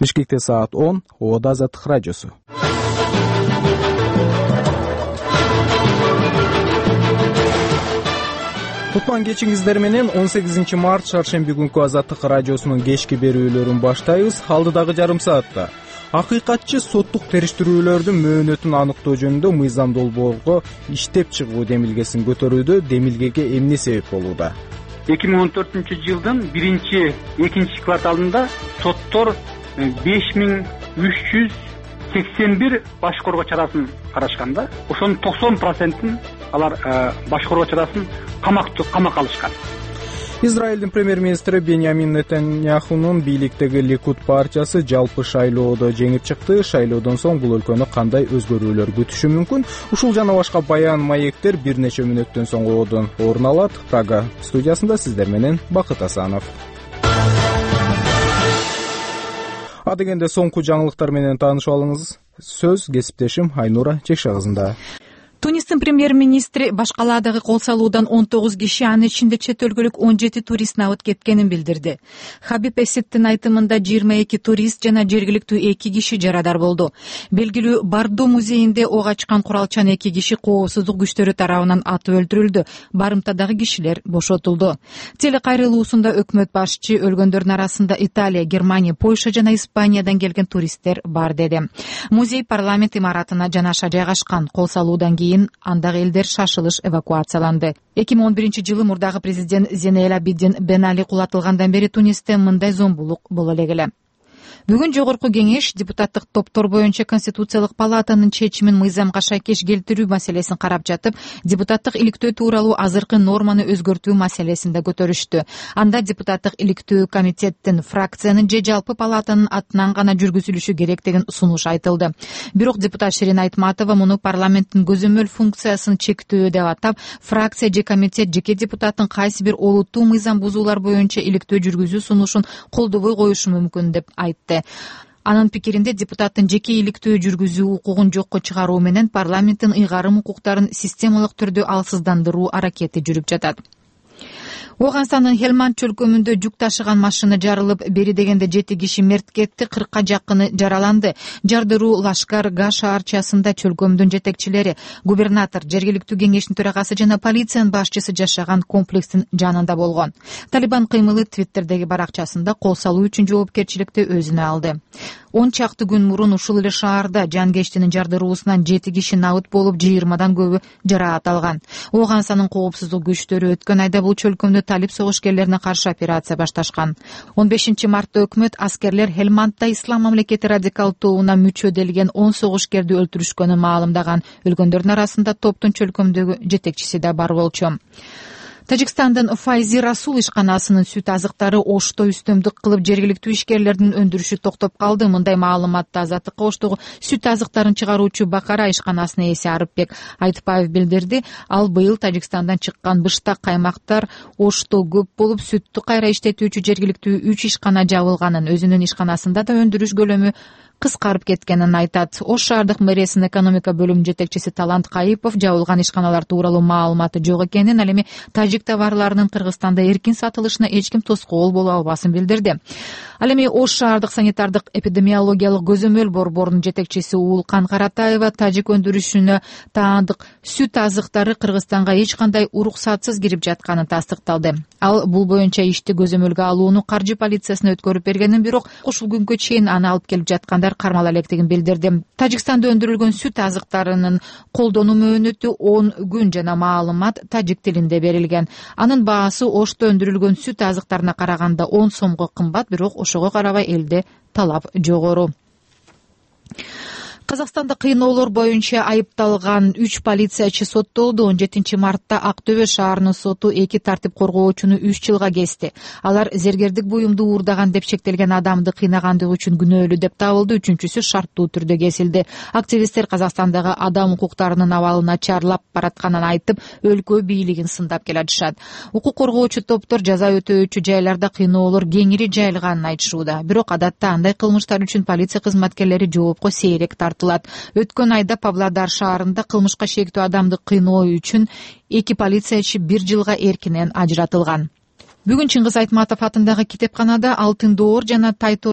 Бишкекте саат 10. Ободо Азаттык радиосу. Кутман кечиңиздер менен 18 март шаршемби күнкү Азаттык радиосунун кечки берүүлөрүн баштайбыз. Алдыдагы жарым саатта акыйкатчы соттук териштирүүлөрдүн мөөнөтүн аныктоо жөнүндө мыйзам долбоорго иштеп чыгуу демилгесин көтөрүүдө. Демилгеге эмне себеп болууда? 2014-жылдын 1-2 кварталында соттор 5381 баш коргоо чарасын карашканда, ошонун 90%-ын алар баш коргоо чарасын камакка алышкан. Израилдин премьер-министри Беньямин Нетаньяхунун бийликтеги Ликуд партиясы жалпы шайлоодо жеңип чыкты. Шайлоодон соң бул өлкөнү кандай өзгөрүүлөр күтүшү мүмкүн? Ушул жана башка баян маектер бир нече мүнөттөн соң ободон орун алат. Прага студиясында сиздер менен Бакыт Асанов. Адегенде соңку жаңылыктар менен таанышып алыңыз. Сөз кесиптешим Айнура Чекшагызында. Тунистин премьер-министри башкалаадагы кол салуудан 19 киши, анын ичинде чет өлкөлүк 17 турист набыт кеткенин билдирди. Хабиб Эситтин айтымында 22 турист жана жергиликтүү 2 киши жарадар болду. Белгилүү Бардо музейинде ок ачкан куралчан 2 киши коопсуздук күчтөрү тарабынан атып өлтүрүлдү. Барымтадагы кишилер бошотулду. Телекайрылуусунда өкмөт башчы өлгөндөрдүн арасында Италия, Германия, Польша жана Испаниядан келген туристтер бар деди. Музей парламент имаратына жанаша жайгашкан. Кол салуудан кийин андагы элдер шашылыш эвакуацияланды. 2011-жылы мурдагы президент Зейнел Абидин Бен Али кулатылгандан бери Тунисте мындай зомбулук боло элек. Бүгүн жогорку кеңеш депутаттык топтор боюнча Конституциялык палатанын чечимин мыйзамга шайкеш келтирүү маселесин карап жатып, депутаттык иликтөө тууралуу азыркы норманы өзгөртүү маселесин да көтөрүштү. Анда депутаттык иликтөө комитеттин, фракциянын же жалпы палатанын атынан гана жүргүзүлүшү керек деген сунуш айтылды. Бирок депутат Ширин Айтматова муну парламенттин көзөмөл функциясын чектөө деп атап, фракция же комитет жеке депутаттын кайсы бир олуттуу мыйзам бузуулар боюнча иликтөө жүргүзүү сунушун колдобой коюшу мүмкүн деп айтты. Анын пикиринде депутаттын жеке иликтөө жүргүзүү укугун жокко чыгаруу менен парламенттин ыйгарым укуктарын системалык түрдө алсыздандыруу аракети жүрүп жатат. Оганстандын Хелманд чөлкөмүндө жүк ташыган машина жарылып, бери дегенде 7 киши мерт кетти, 40-ка жакыны жараланды. Жардыруу Лашкар-Га шаарчасында чөлкөмдүн жетекчилери, губернатор, жергиликтүү кеңештин төрагасы жана полициянын башчысы жашаган комплекстин жанында болгон. Талибан кыймылы Твиттердеги баракчасында кол салуу үчүн жоопкерчиликти өзүнө алды. 10 чакты күн мурун ушул эле шаарда жангештинин жардыруусунан 7 киши набыт болуп, 20-дан көбү жараат алган. Оганстандын коопсуздук күчтөрү өткөн айда бул чөлкөмдө талиб согушкерлерине каршы операция башташкан. 15 мартта өкмөт аскерлер Хелмандда Ислам мамлекети радикал тобуна мүчө делген 10 согушкерди өлтүрүшкөнүн маалымдаган. Өлгөндөрдүн арасында топтун чөлкөмдөгү жетекчиси да бар болчу. Тажикстандын Файзи Расул ишканасынын сүт азыктары Ошто үстөмдүк кылып, жергиликтүү ишкерлердин өндүрүшү токтоп калды. Мындай маалыматты Азаттыкка Оштогу сүт азыктарын чыгаруучу Бакара ишканасынын ээси Арыпбек Айтпаев билдирди. Ал быйыл Тажикстандан чыккан быштак каймактар Ошто көп болуп, сүттү кайра иштетүүчү жергиликтүү 3 ишкана жабылганын, өзүнүн ишканасында да өндүрүш көлөмү кыскарып кеткенин айтат. Ош шаардык мэриянын экономика бөлүмү жетекчиси Талант Кайыпов жабылган ишканалар тууралуу маалыматы жок экенин, ал эми тажик товарларынын Кыргызстанда эркин сатылышына эч ким тоскоол боло албасын билдирди. Ал эми Ош шаардык санитардык эпидемиологиялык көзөмөл борборунун жетекчиси Уулкан Каратаева тажик өндүрүшүнө таандык сүт азыктары Кыргызстанга эч кандай уруксатсыз кирип жатканын тастыкталды. Ал бул боюнча ишти көзөмөлгө алууну каржы полициясына өткөрүп бергенин, бирок ушул күнгө чейин аны алып келип жаткандар кармала электигин билдирди. Тажикстанда өндүрүлгөн сүт азыктарынын колдонуу мөөнөтү 10 күн жана маалымат тажик тилинде берилген. Анын баасы Ошто өндүрүлгөн сүт азыктарына караганда 10 сомго кымбат, бирок ошого карабай элде талап жогору. Казакстанда кыйноолор боюнча айыпталган 3 полициячы соттолду. 17 мартта Ак Төбө шаарынын соту 2 тартип коргоочуну 3 жылга кести. Алар зергердик буюмду уурдаган деп шектелген адамды кыйнагандыгы үчүн күнөөлүү деп табылды. Үчүнчүсү шарттуу түрдө кесилди. Активисттер Казакстандагы адам укуктарынын абалы начарлап баратканын айтып, өлкө бийлигин сындап келатышат. Укук коргоочу топтор жаза өтөөчү жайларда кыйноолор кеңири жайылганын айтышууда. Бирок адатта андай кылмыштар үчүн полиция кызматкерлери жоопко сейрек тартылат. Өткөн айда Павлодар шаарында кылмышка шектүү адамды кыйноо үчүн 2 полициячы 1 жылга эркинен ажыратылган. Бүгүн Чыңгыз Айтматов атындагы китепканада Алтын Доор жана Тайтор